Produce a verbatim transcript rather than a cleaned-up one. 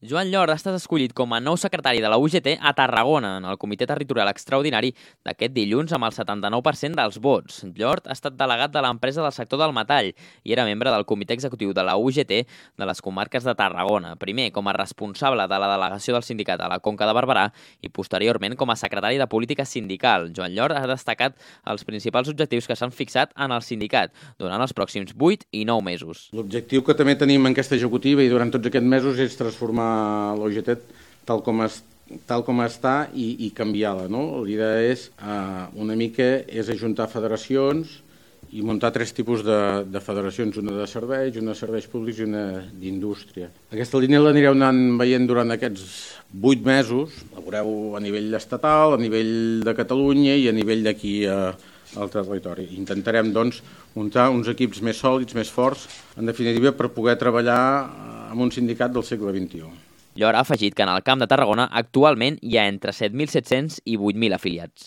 Joan Llort ha estat escollit com a nou secretari de la U G T a Tarragona, en el Comitè Territorial Extraordinari d'aquest dilluns amb el setanta-nou per cent dels vots. Llort ha estat delegat de l'empresa del sector del metall i era membre del Comitè Executiu de la U G T de les comarques de Tarragona, primer com a responsable de la delegació del sindicat a la Conca de Barberà i posteriorment com a secretari de Política Sindical. Joan Llort ha destacat els principals objectius que s'han fixat en el sindicat durant els pròxims vuit i nou mesos. L'objectiu que també tenim en aquesta executiva i durant tots aquests mesos és transformar l'O G T tal com, es, tal com està i, i canviar-la. No? L'idea és uh, una mica és ajuntar federacions i muntar tres tipus de, de federacions, una de serveis, una de serveis públics i una d'indústria. Aquesta línia l'anireu anant veient durant aquests vuit mesos, la veureu a nivell estatal, a nivell de Catalunya i a nivell d'aquí a, al territori. Intentarem doncs, muntar uns equips més sòlids, més forts, en definitiva, per poder treballar amb un sindicat del segle vint-i-u. Llort ha afegit que en el Camp de Tarragona actualment hi ha entre set mil set-cents i vuit mil afiliats.